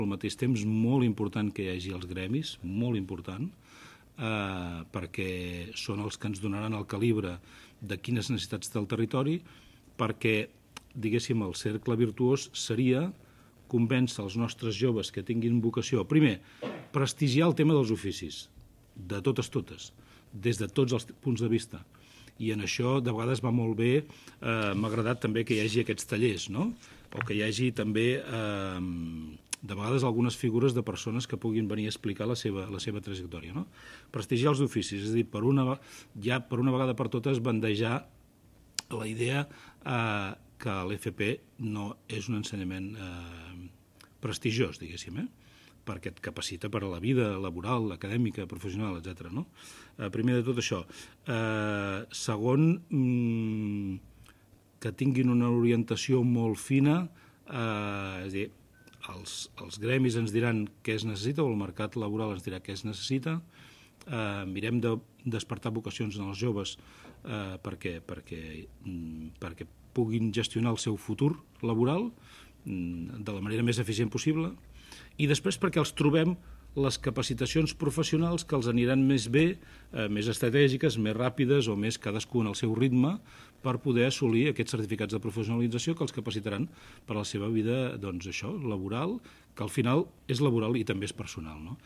Al mateix temps, molt important que hi hagi els gremis, molt important, perquè són els que ens donaran el calibre de quines necessitats té el territori, perquè, diguéssim, el cercle virtuós seria convèncer els nostres joves que tinguin vocació. Primer, prestigiar el tema dels oficis, de totes, des de tots els punts de vista. I en això, de vegades, va molt bé, m'ha agradat també que hi hagi aquests tallers, no? O que hi hagi també, de vegades, algunes figures de persones que puguin venir a explicar la seva trajectòria, no? Prestigiar els oficis, és a dir, ja per una vegada per totes bandejar la idea que l'FP no és un ensenyament prestigiós, diguéssim, perquè et capacita per a la vida laboral, acadèmica, professional, etc. Primer de tot això. Segon, que tinguin una orientació molt fina, és a dir, els gremis ens diran què es necessita, o el mercat laboral ens dirà què es necessita. Mirem de despertar vocacions en els joves perquè puguin gestionar el seu futur laboral de la manera més eficient possible, i després perquè els trobem les capacitacions professionals que els aniran més bé, més estratègiques, més ràpides o més cadascú en el seu ritme, per poder assolir aquests certificats de professionalització que els capacitaran per a la seva vida, doncs això, laboral, que al final és laboral i també és personal, no?